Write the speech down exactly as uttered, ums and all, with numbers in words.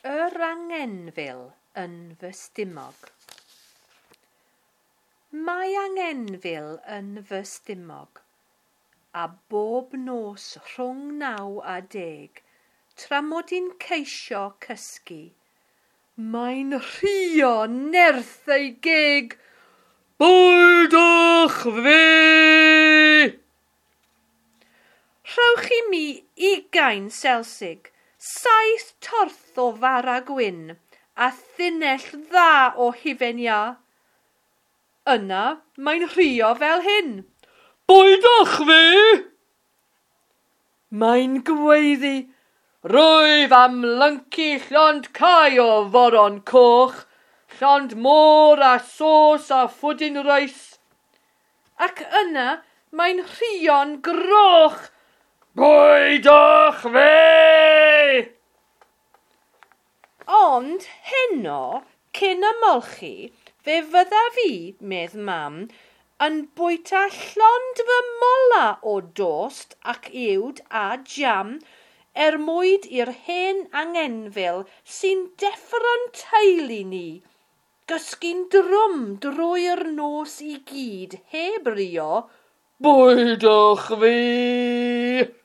Yr angenfil yn fy stumog. Mae angenfil yn fy stumog, a bob nos rhwng naw a deg, tra mod i'n ceisio cysgu, mae'n rhuo nerth ei geg. Bwydwch fi! Rhowch i mi ugain selsig, saith torth o fara gwyn a thunnell dda o hufen iâ. Yna mae'n rhuo fel hyn. Bwydwch fi! Mae'n gweiddi. Rwyf am lyncu llond cae o foron coch, llond môr a sos a phwdin reis. Ac yna mae'n rhuo'n groch. Bwydwch fi! Ond heno, cyn ymolchi, fe fyddaf fi, medd mam, yn bwyta llond fy mola o dost ac uwd a jam er mwyd i'r hen angenfil sy'n deffro'n teulu ni, gysgu'n drwm drwy'r nos i gyd heb rio, bwydwch fi!